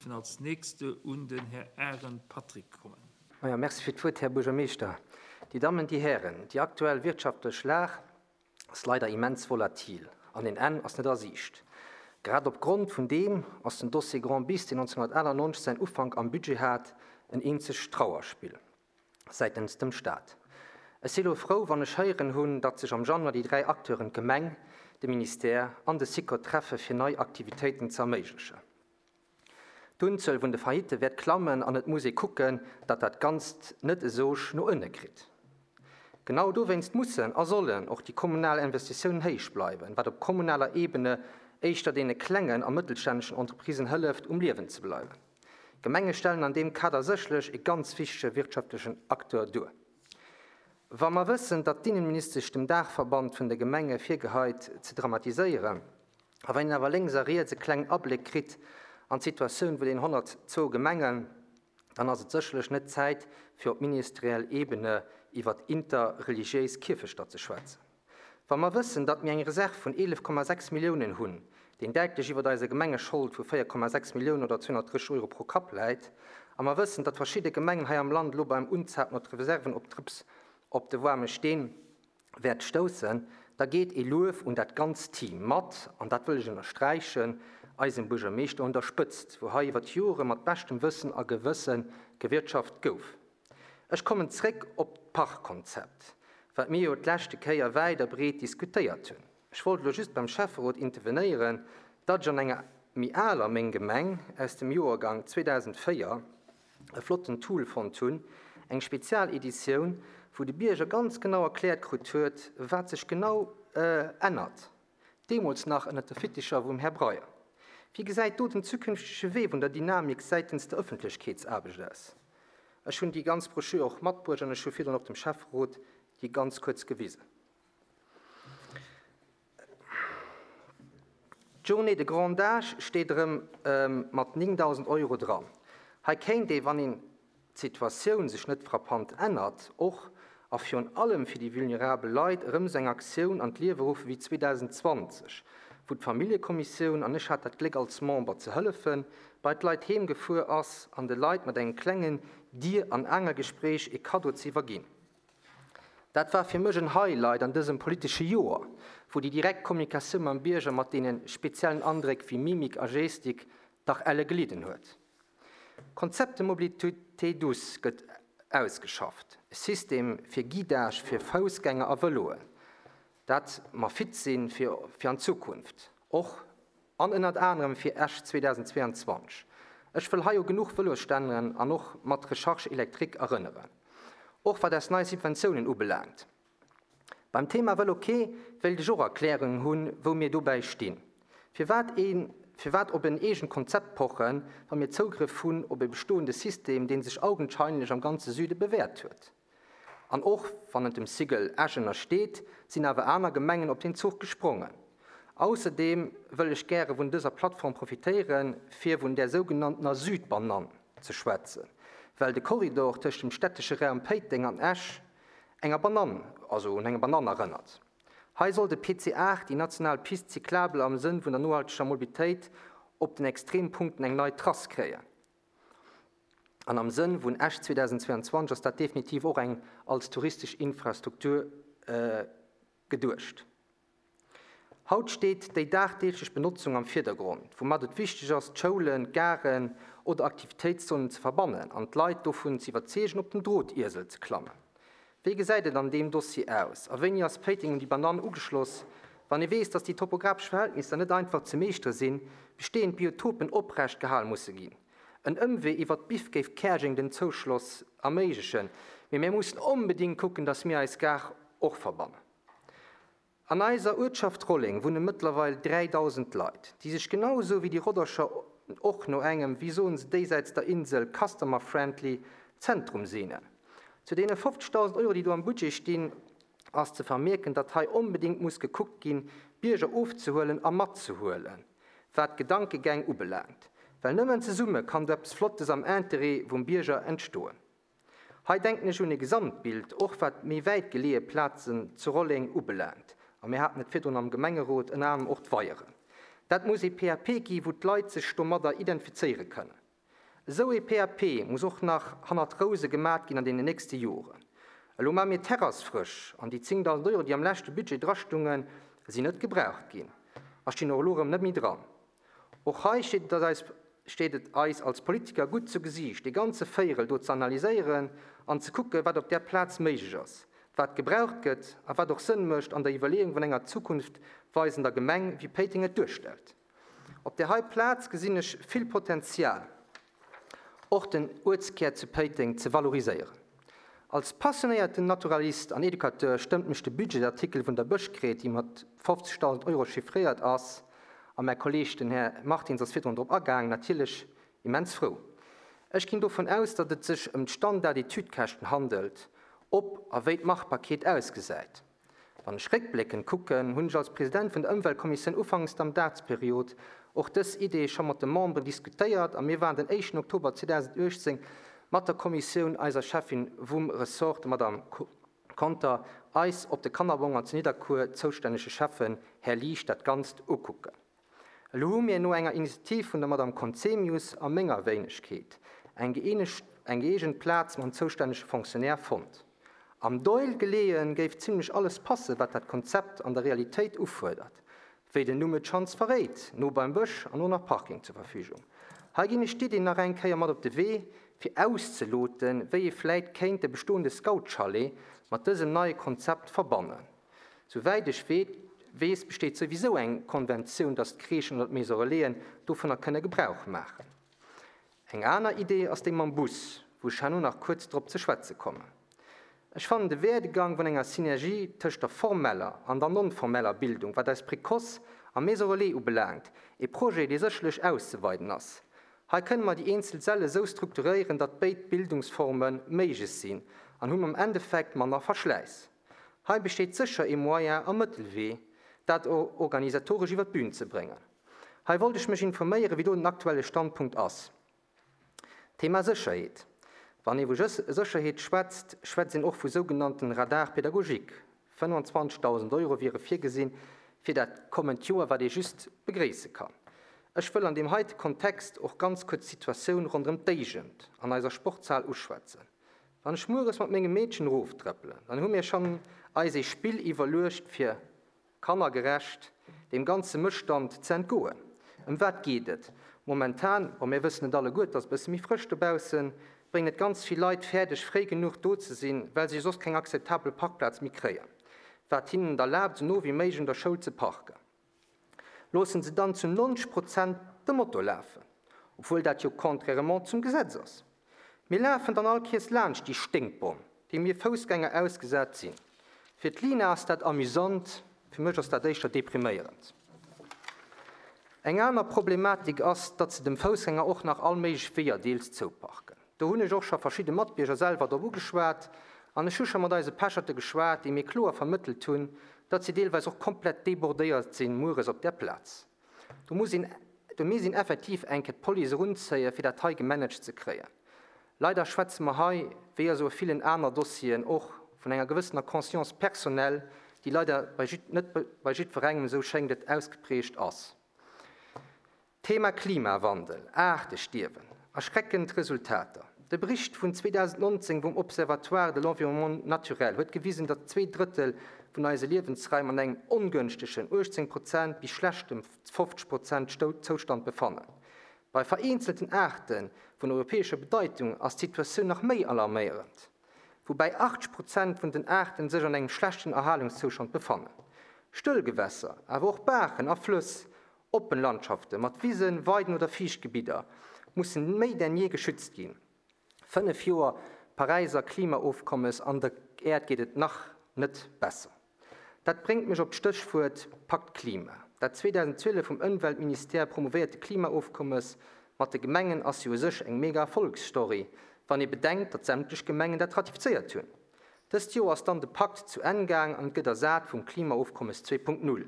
Als nächste un den Här Arendt Patrick kommen. Majo, merci fir d'Wuert, Här Buergermeeschter. Dir Dammen, Dir Hären, déi aktuell wirtschaftlech Lag ass leider immens volatil an en Enn ass net a Siicht. Grad op Grond vun deem ass den Dossier Grand Bis, deen 1998 säin Ufank am Budget hat, en eenzegt Trauerspill säitens dem Stat. Ech si lo frou, wann ech héieren hunn, datt sech am Januar déi 3 Acteuren, d'Gemeng, de Ministère an de SICOT treffe fir nei Aktivitéiten ze erméiglechen. D'Unzuel vun de Faillitte wäert klammen an et muss ee kucken, datt dat Ganzt net e Sog no ënne kritt. Genau dowéinst mussen a sollen och déi kommunal Investitiounen héich bleiwen, wat op kommunaler Ebene éischter deene klengen a mëttelstänneschen Entreprisen hëlleft, um Liewen ze bleiwen. D'Gemenge stellen an deem Kader sécherlech e ganz wichtege wirtschaftlechen Acteur duer. Wa mer wëssen, datt d'Innenministesch dem Daachverband vun de Gemenge virgeheit ze dramatiséieren, A wann een awer lénks a riets e klengen Abléck kritt an d'Situatioun vun den 102 Gemengen, dann ass et sécherlech net Zäit, fir op ministeriell Ebene iwwert interreligiéis Kierfechter ze schwätzen. Wa mer wëssen, datt mir eng Reserv vun 11,6 Milliounen hunn, deen däitlech iwwert eiser Gemengeschold vu 4,6 Milliounen oder 230 Euro pro Kapp läit, a mer wëssen, datt verschidde Gemengen hei am Land elo beim Unzapen op d'Reserven op d'Drëps op de waarme Steen wäert stoussen, da geet ee Luef un dat ganzt Team mat, an dat wëll ech ënnersträichen, eisem Buergermeeschter un der Spëtzt, wou hei iwwer d'Jore mat beschtem Wëssen a Gewësse gewirtschaft gouf. Ech kommen zréck op d'Parkkonzept, wat mir jo d'leschte Kéier wäit a breet diskutéiert hunn. Ech wollt elo just beim Schäfferot intervenéieren, datt ech an enger méi aler Meng Gemeng aus dem Joergang 2004 e flotten Tool fonnt hunn, eng Spezialeditioun, wou de Bierger ganz genau erkläert krut huet, wat sech genau ännert, deemools nach ënnert de Fitticher vum Här Breyer. Wéi gesäit do den zukünftege Wee vun der Dynamik säitens der Ëffentlechkeetsaarbecht aus? Ech hunn déi ganz Broschür och matbruecht an ech hu virdrun och dem Schäfferot déi ganz kuerz gewisen. D'Journée de grand âge steet erëm mat 9.000 Euro dran. Hei kéint ee, wann een d'Situatioun sech net frappant ännert, och a virun allem fir déi vulnerabel Leit erëm esou eng Aktioun an d'Liewe ruffe wéi 2020, wou d'Familljekommissioun, an ech hat dat Gléck als Member ze hëllefen, bei d'Leit heem gefuer ass an de Leit mat engem klengen Dier an Aangelgespréich ee Kaddo ze iwwerginn. Dat war fir mech en Highlight an dësem politesche Joer, wou déi direkt Kommunikatioun mam Bierger mat deene speziellen Andréck wéi Mimik a Gestik dach elle gelidden huet. D'Konzept de mobilité douce gëtt ausgeschafft, e System fir Guidage fir Foussgänger a Vëloen, dat mer fit sinn fir fir an d'Zukunft, och an ënnert anerem fir Esch 2022. Ech wëll hei u genuch Vëlosstänneren an och mat Recharge électrique erënneren, och wat eis nei Subventiounen ubelaangt. Beim Thema Vël'OK wéilt ech och Erklärungen hunn, wou mir dobäi stinn. Firwat een, firwat op en eegent Konzept pochen, wa mir Zougrëff hunn op e bestoende System, dee sech augenscheinlech am ganze Süde bewäert huet? An och wann et dem Sigel Esch ënnersteet, sinn awer aner Gemengen op deen Zuch gesprongen. Ausserdeem wëll ech gäre vun dëser Plattform profitéieren, fir vun där sougenanntener Südbanann ze schwätzen, well de Korridor tëscht dem städtesche Raum Péiteng an Esch enger Banann, also un eng Banann erënnert. Hei soll de PC 8, déi national Piste cyclable am Sënn vun der nohalteger Mobilitéit, op den Extrempunkten eng nei Trass kréien. An am Sënn vun Esch 2022 ass dat definitiv och eng als touristesch Infrastruktur geduecht. Haut steet déi dagdeeglech Benotzung am Virdergrond, woumat et wichteg ass, d'Schoulen, d'Garen oder Aktivitéitszonen ze verbannen an d'Leit dovun ze iwwerzeegen, op den Drotiesel ze klammen. Wéi gesäit et an deem Dossier aus a wéini ass Péiteng un déi Banann ugeschloss? Wann ee weess, dass déi topographesch Verhältnisser net einfach ze meeschtere sinn, bestehend Biotopen oprecht gehal musse ginn. En Ëmwee iwwert d'Biff géif Käerjeng den Zouschloss erméiglechen, mee mär mussen onbedingt kucken, dass mir eis Gare och verbannen. An eiser Uertschaft Rolleng wunne mëttlerweil 3.000 Leit, déi sech genau esou wéi déi Roddercher och no engem, wéi soen se déisäits der Insel, customer friendly Zentrum sehnen. Zu deene 50.000 Euro, déi do am Budget stinn, ass ze vermierken, datt hei onbedéngt muss gekuckt ginn, d'Bierger ofzehuelen a matzehuelen, wat d'Gedankegäng ubelaangt. Well nëmmen zesumme kann do eppes Flottes am Interêt vum Bierger entstoen. Hei denken ech un e Gesamtbild, och wat méi wäit geleeë Plazen zu Rolleng ubelaangt. A mir haten et virdrun am Gemengerot, ënner anerem och d'Weieren. Dat muss ee PAP gi wou d'Leit sech domadder identifizéiere kënnen. Esou ee PAP muss och nach hannert Rouse gemat ginn an deenen nächste Joren. Elo maa mir d'Terrass frësch an déi 10.000 Euro, déi am leschte Budget drastungen, sinn net gebraucht ginn a stinn och elo erëm net méi dran. Och hei steet et eis steet et eis als Politiker gutt zu Gesiicht, dee ganze Véierel do ze analyséieren an ze kucken, wat op där Plaz méiglech ass, wat gebraucht gëtt a wat och Sënn mécht an der Iwwerleeung vun enger zukunftweisender Gemeng, wéi Péiteng et duerstellt. Op där hei Plaz gesinn ech vill Potenzial, och den Uertskär zu Péiteng ze valoriséieren. Als passionéierten Naturalist an Educateur stëmmt mech de Budgetsartikel vun der Bëschgreet, déi mat 50.000 Euro chiffréiert ass, a mäi Kolleeg, den Här Martins ass virdrun drop agaang, natierlech immens frou. Ech ginn dovun aus, datt et sech ëm d'Standard-Etüdkäschten handelt, ob a wéi d'Machbarkeet ausgesäit. Wann ech réckbléckend kucken, hunn ech als President vun der Ëmweltkommissioun ufanks der Mandatsperiod och dës Idee scho mat de Memberen diskutéiert a mir waren den éischten Oktober 2018 mat der Kommissioun, eiser Cheffin vum Ressort, der Madame Conter, eis op de Kannerbong an zu Nidderkuer zoustännege Schäffen, Här Liesch, dat Ganzt ukucken. Elo hu mir no enger Initiativ vun der Madame Conzemius a menger Wéinegkeet eng gëeegent Plaz mam zoustännege Fonctionnaire fonnt. Am Doihl geleeën géif zimlech alles passen, wat dat Konzept an der Realitéit ufuerdert. Wéi den Numm et schonns verréit, no beim Bësch an och nach Parking zur Verfügung. Hei ginn ech d'Idee nach eng Kéier mat op de Wee, fir auszeloten, wéi ee vläit kéint de bestoende Scoutschalet mat dësem neie Konzept verbannen. Souwäit ech weess, besteet souwisou eng Konventioun, datt d'Crèchen oder d'Maison Relaisen dovunner kënne Gebrauch maachen. Eng aner Idee ass déi mam Bus, wou ech herno nach kuerz drop ze schwätze kommen. Ech fannen de Werdegang vun enger Synergie tëscht der formeller an der non-formeller Bildung, wat eis Précoce a Maison Relais ubelaangt, e Projet, dee sécherlech auszeweiden ass. Hei kënne mer déi eenzel Säll esou strukturéieren, datt béid Bildungsforme méiglech sinn an hunn am Endeffekt manner Verschläiss. Hei besteet sécher ee Moyen a Mëttelwee, dat organisatoresch iwwer d'Bühn ze bréngen. Hei wollt ech mech informéieren, wéi do den aktuelle Standpunkt ass. Thema Sécherheet. Wann ee vu Sécherheet schwätzt, schwätzt een och vu sougenannten Radars pédagogiques. 25.000 Euro wiere virgesinn fir dat kommend Joer, wat ee just begréisse kann. Ech wëll an deem heite Kontext och ganz kuerz d'Situatioun ronderëm d'Éigent an eiser Sportshal uschwätzen. Wann ech mueres mat mengem Meedchen eroftrëppelen, dann hu mir schonn eis ee Spill iwwerluecht fir kannergerecht deem ganze Mësstand ze entgoen. Ëm wat geet et momentan? Bon, mir wëssen et alleguer, et ass e bësse méi frësch dobaussen, bréngen et ganz vill Leit fäerdeg fréi genuch do ze sinn, well si soss keng akzeptabel Parkplaz méi kréien, wat hinnen et erlaabt esou no wéi méiglech un der Schoul ze parken. Loossen se dann zu 90 Prozent de Motor lafen, obwuel dat jo contrairement zum Gesetz ass. Mir lafen dann all Kiers laanscht déi Sténkbomm, déi mir Foussgänger ausgesat sinn. Fir d'Lina ass dat amüsant, fir mech ass dat éischter depriméierend. Eng aner Problematik ass, datt se dem Foussgänger och nach all méiglech Weeër deels zouparken. Do hunn ech och scho verschidde Matbierger selwer drop ugeschwat an ech hu scho mat eise Pecherte geschwat, déi mir kloer vermëttelt hunn, datt si deelweis och komplett débordéiert sinn mueres op där Plaz. Do muss een, do misst een effektiv eng Kéier d'Police erunzéien, fir dat hei gemanagt ze kréien. Leider schwätze mer hei, wéi a sou villen aner Dossieren och, vun enger gewëssener Conscience personnelle, déi leider bei net bei jiddwerengem, esou schéngt et, ausgeprägt ass. Thema Klimawandel, Aartestierwen, erschreckend Resultater. De Bericht vun 2019 vum Observatoire de l'environnement naturel huet gewisen, datt 2/3 vun eise Liewensraim an engem ongënschtegen, 18 Prozent, bis schlechtem, 50 Prozent, Zoustand befannen. Bei vereenzelten Aarte vun europäescher Bedeitung ass d'Situatioun nach méi alarméierend, woubäi 80 Prozent vun den Aarte sech an engem schlechten Erhalungszoustand befannen. Stëllgewässer, awer och Baachen a Flëss Oppen Landschafte mat Wisen, Weiden oder Fiichtgebidder mussen méi denn jee geschützt ginn. 5 Joer Paräiser Klimaofkommes an der Äerd geet et nach net besser. Dat bréngt mech op d'Stéchwuert Pakt Klima. Dat 2012 vum Ëmweltministère promouvéierte Klimaofkommes mat de Gemengen ass jo u sech eng mega Erfolgsstory, wann ee bedenkt, datt sämtlech Gemengen dat ratifizéiert hunn. Dëst Joer ass dann de Pakt zu Enn gaang an gëtt ersat vum Klimaofkommes 2.0.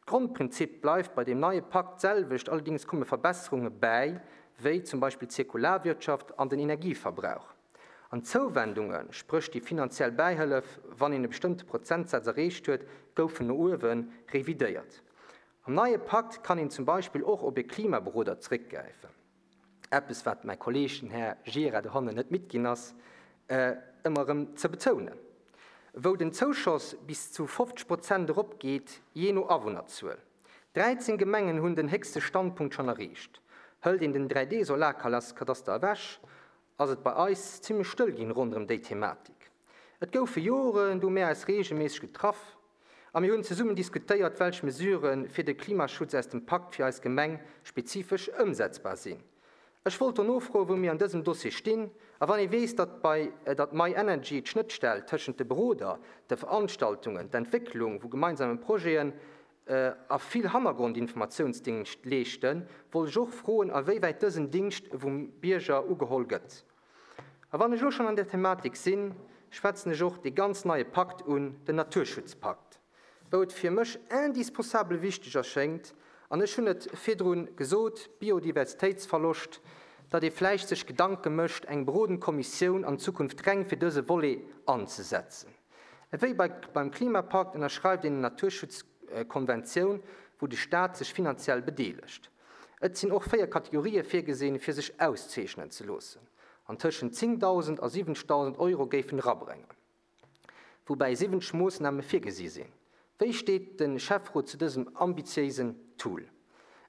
D'Grondprinzip bleift bei deem neie Pakt d'selwecht, allerdéngs komme Verbesserunge bäi, wéi zum Beispill d'Zirkularwirtschaft an den Energieverbrauch. An d'Zouwendungen, spréch déi finanziell Bäihëllef, wann een e bestëmmte Prozentsaz erreecht huet, goufen no uewe revidéiert. Am neie Pakt kann een zum Beispill och op e Klimaberoder zeréckgräifen. Eppes, wat mäi Kolleeg, den Här Gira dohannen net midd ginn ass, ëmmer erëm ze betounen. Wou den Zouschoss bis zu 50 Prozent eropgeet, jee no Awunnerzuel. 13 Gemengen hunn den héchste Standpunkt schonn erreecht. Hëlt een den 3D-Solarkadaster ewech, ass et bei eis zimmlech stëll ginn ronderëm déi Thematik. Et goufe Joren, do hu mär eis reegelméisseg getraff a mir hunn zesummen diskutéiert, welch Mesurë fir de Klimaschutz aus dem Pakt fir eis Gemeng spezifesch ëmsetzbar sinn. Ech wollt do nofroen, wou mir an dësem Dossier stinn a wann ee weess, datt bei datt MyEnergy d'Schnëttstell tëschent de Beroder, de Veranstaltungen, d'Entwécklung vu gemeinsame Projeten a vill Hannergrondinformatiounsdingscht leeschten, wollt ech och froen, a wéi wäit dësen Dingscht vum Bierger ugeholl gëtt. A wann ech elo schonn an där Thematik sinn, schwätzen ech och dee ganz neie Pakt un, den Naturschutzpakt, wou et fir mech indispensabel wichteg erschéngt, an ech hunn et virdru gesot, Biodiversitéitsverloscht, datt ee vläicht sech Gedanke mécht, eng berodend Kommissioun an Zukunft reng fir dëse Volet anzesetzen. Ewéi bei beim Klimapakt ënnerschreift een en Naturschutzkonventioun, wou de Staat sech finanziell bedeelegt. Et sinn och 4 Kategorië virgesinn, fir sech auszeechnen ze loossen, an tëschent 10.000 a 70.000 Euro géifen erabréngen, woubäi 70 Moossname virgesi sinn. Wéi steet de Schäfferot zu dësem ambitiéisen Tool?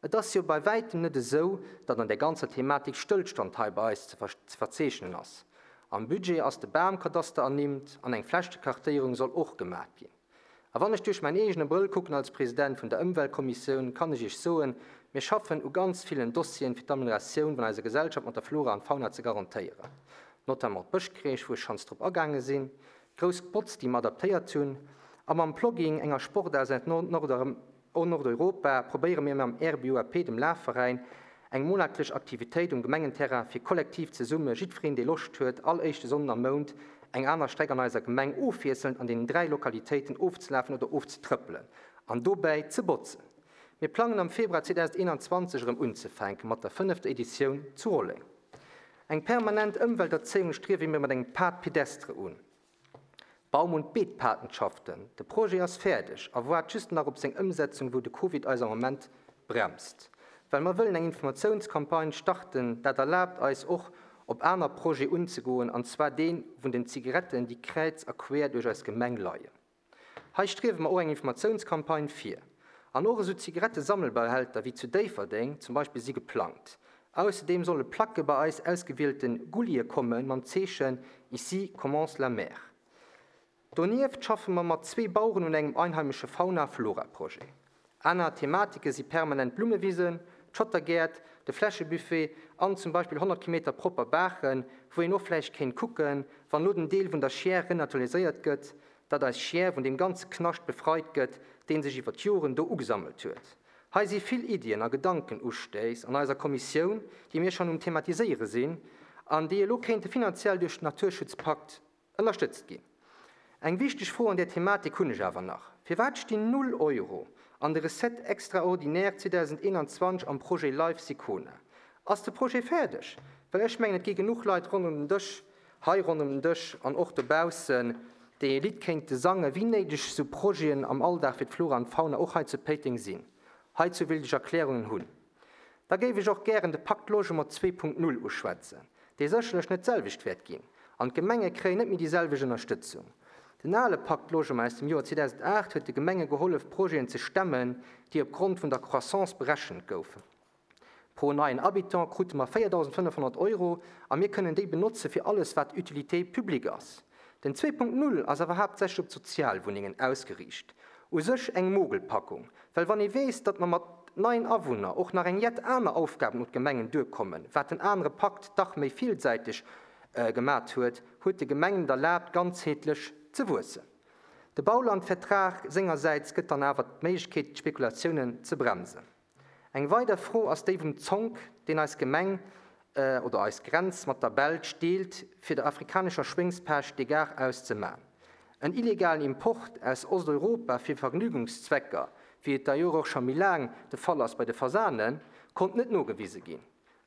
Et ass jo bei wäitem net esou, datt an där ganzer Thematik Stëllstand hei bei eis ze verzeechnen ass. Am Budget ass de Bamkadaster ernimmt an eng Flächekartéierung soll och gemat ginn. A wann ech duerch mäin eegene Brëll kucken als President vun der Ëmweltkommissioun, kann ech Iech soen, mir schaffen u ganz villen Dossieren, fir d'Amelioratioun vun eiser Gesellschaft mat der Flora an Fauna ze garantéieren, notamment d'Bëschkreech, wou ech schonns drop agaange sinn, d'grouss Botz, déi mer adaptéiert hunn, a mam Plogging, enger Sportaart aus Nordeuropa, probéiere mir mam RBUAP, dem Lafveräin, eng monatlech Aktivitéit um Gemengenterrain fir kollektiv zesumme, jiddwereen dee Loscht huet, all éischte Sonnden am Mount eng aner Streck an eiser Gemeng ofwiesselnd an deenen 3 Lokalitéiten ofzelafen oder ofzetrëppelen an dobäi ze botzen. Mir plangen am Februar 2021 erëm unzefänke mat der fënnefter Editioun zu Rolleng. Eng permanent Ëmwelterzéiung striewe mir mat engem Pad pédestre un. Baum und Beetpatenschaften, De Projet ass fäerdeg a woart just nach op seng Ëmsetzung, wou de Covid eis am Moment bremst. Well mer wëllen eng Informatiounscampagne starten, dat erlaabt eis och op aner Projet unzegoen, an zwar dee vun den Zigaretten, déi kräiz a queer duerch eis Gemeng leien. Hei striewe mer och eng Informatiounscampagne vir. An och esou Zigarettesammelbehälter wéi zu Déifferdeng zum Beispill si geplangt. Ausserdeem solle Placke bei eis ausgewielten Gullie komme mam Zeechen Ici commence la mer. Donieft schaffe mer mat zwee Baueren un engem einheimesche Fauna-Flora-Projet. Aner Thematike si permanent Blummewisen, d'Schottergäert, de Fläschebuffet an zum Beispill 100 Kilometer propper Baachen, wou een och vläicht kéint kucken, wann elo den Deel vun der Chiers renaturaliséiert gëtt, datt eis Chiers vun deem ganze Knascht befreit gëtt, dee sech iwwer d'Joren do ugesammelt huet. Hei si vill Iddien a Gedankenustéiss an eiser Kommissioun, déi mir schonn um thematiséiere sinn an déi elo kéinte finanziell duerch den Naturschutzpakt ënnerstëtzt ginn. Eng wichteg Fro an där Thematik hunn ech awer nach, Firwat stinn null Euro an de Recettes extraordinaires 2021 am Projet Life Sicona? Ass de Projet fäerdeg? Well ech mengen, et gi genuch Leit ronderëm den Dësch, hei ronderëm den Dësch an och dobaussen, déi e Lidd kéinte sangen, wéi néideg esou Projeten am Alldag fir d'Flora an d'Fauna och hei zu Péiteng sinn. Heizou wéilt ech Erklärungen hunn. Da géif ech och gären de Pacte Logement 2.0 uschwätzen, dee sécherlech net d'selwecht wäert ginn, an d'Gemenge kréien net méi déi selwecht Ënnerstëtzung. Den ale Pacte Logement aus dem Joer 2008 huet de Gemenge gehollef, Projeten ze stemmen, déi op Grond vun der Croissance berechent goufen. Pro neien Habitant krute mer 4.500 Euro a mir kënnen déi benotze fir alles, wat Utilité publique ass. Den 2.0 ass awer haaptsächlech op d'Sozialwunnengen ausgeriicht. U sech eng Mogelpackung, well wann ee weess, datt mer mat neien Awunner och nach eng jett aner Aufgaben un d'Gemengen duerkommen, wat den anere Pakt dach méi villsäiteg gemat huet, huet de Gemengen et erlaabt, ganzheetlech ze wuessen. De Baulandvertrag sengersäits gëtt dann awer d'Méiglechkeet, d'Spekulatiounen ze bremsen. Eng weider Fro ass déi vum Zonk, deen eis Gemeng oder eis Grenz mat der Belsch deelt, fir der afrikanescher Schwéngspecht de Garaus ze man. En illegalen Import aus Osteuropa fir Vergnügungszwecker, wéi et d'ailleurs och scho méi laang de Fall ass bei de Fasanen, konnt net nogewise ginn.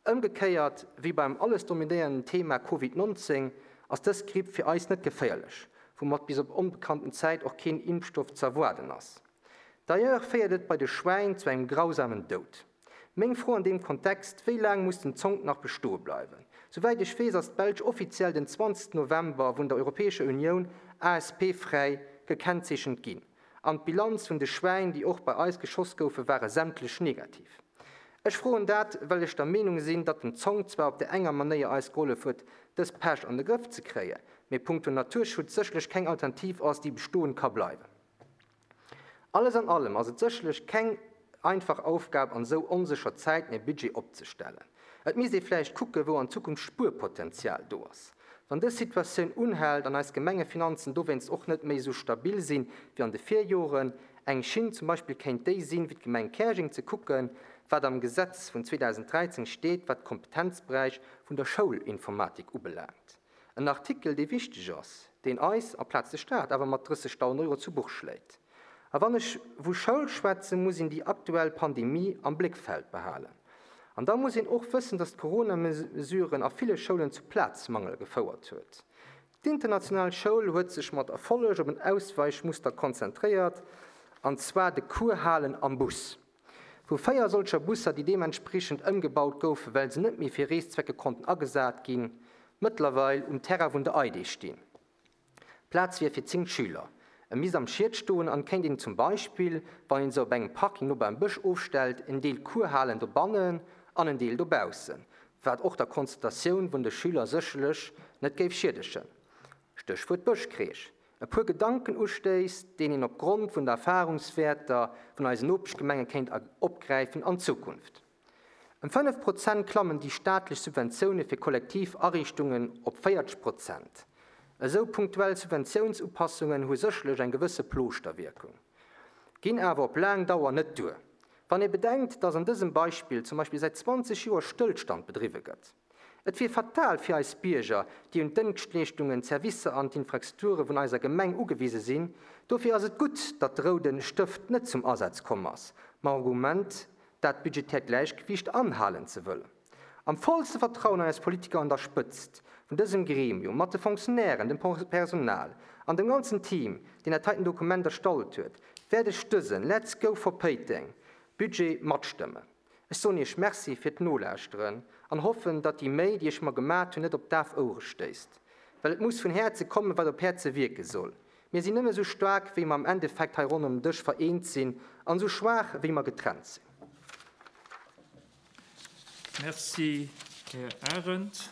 Ëmgekéiert wéi beim alles dominéierenden Thema Covid 19 ass dës Gripp fir eis net geféierlech, woumat bis op onbekannten Zäit och keen Impfstoff z'erwaarden ass. D'ailleurs féiert et bei de Schwäin zu engem grausamen Doud. Meng Fro an deem Kontext, Wéi laang muss den Zonk nach bestoe bleiwen? Souwäit ech weess, ass d'Belsch offiziell den 20 November vun der Europäescher Unioun ASP-fräi gekennzeechent ginn. An d'Bilanz vun de Schwäin, déi och bei eis geschoss goufen, ware sämtlech negativ. Ech froen dat, well ech der Meenung sinn, datt den Zonk zwar op där enger Manéier eis gehollef huet, dës Pescht an de Grëff ze kréien, mee punkto Naturschutz sécherlech keng Alternativ ass, déi bestoen ka bleiwen. Alles an allem ass et sécherlech keng einfach Aufgab an esou onsécher Zäiten e Budget opzestellen. Et misst ee vläicht kucke wou an Zukunft Spuerpotenzial do ass. Wann dës Situatioun unhält an eis Gemengefinanzen dowéinst och net méi esou stabil sinn wéi an de Virjoren, eng Schinn zum Beispill kéint déi sinn, wéi d'Gemeng Käerjeng ze kucken, wat am Gesetz vun 2013 steet, wat d'Kompetenzberäich vun der Schoulinformatik ubelaangt. En Artikel, dee wichteg ass, deen eis, amplaz de Staat, awer mat 30.000 Euro zu Buch schléit. A wann ech vu Schoul schwätzen, muss een déi aktuell Pandemie am Bléckfeld behalen. An da muss een och wëssen, datt d'Corona-Mesuren a ville Schoulen zu Plazmangel gefouert huet. D'international Schoul huet sech mat Erfolleg op en Ausweichmuster konzentréiert, an zwar de Cours halen am Bus. Wou 4 solcher Busser, déi deementspriechend ëmgebaut goufen, well se net méi fir Reeszwecke konnten agesat ginn, mëttlerweil um Terrain vun der EIDE stinn. Plaz wier fir 10 Schüler. E misst am Schied stoen an kéint een zum Beispill, wann een se op engem Parking no beim Bësch ofstellt, en Deel Cours halen dobannen an en Deel dobaussen, wat och der Konzentratioun vun de Schüler sécherlech net géif schiedegen. Stéchwuert Bëschkreesch. E puer Gedankenustéiss, deen een op Grond vun de Erfahrungswäerter vun eisen Nopeschgemenge kéint opgräifen an Zukunft. Ëm 5 Prozent klammen déi staatlech Subventioune fir kollektiv Ariichtungen op 40 Prozent. Esou punktuell Subventiounsupassungen hu sécherlech eng gewësse Plooschter-Wierkung, ginn awer op laang Dauer net duer, wann ee bedenkt, dass an dësem Beispill zum Beispill säit 20 Joer Stëllstand bedriwwe gëtt. Et wier fatal fir eis Bierger, déi un d'Dëngschtleeschtungen, d'Servicer an d'Infrastrukture vun eiser Gemeng ugewise sinn. Dofir ass et gutt, datt de roude Stëft net zum Asaz komm ass, mam Argument, dat budgetäert Gläichgewiicht anhalen ze wëllen. Am vollste Vertrauen an eis Politiker an der Spëtzt vun dësem Gremium, mat de Fonctionnairen, dem Personal an dem ganzen Team, deen dat heiten Dokument erstallt huet, wäert ech dësen Let's go for Péiteng Budget matstëmmen. Ech soen iech Merci fir d'Nolauschteren an hoffen, datt déi Méi, déi ech mer gemat hunn, net op daf Ouere stéisst. Well et muss vun Häerze kommen, wat op Häerze wierke soll. Mir sinn nëmme sou staark, wéi mer am Endeffekt hei ronderëm den Dësch vereent sinn, an sou schwaach, wéi mer getrennt sinn. Merci, Här Arendt.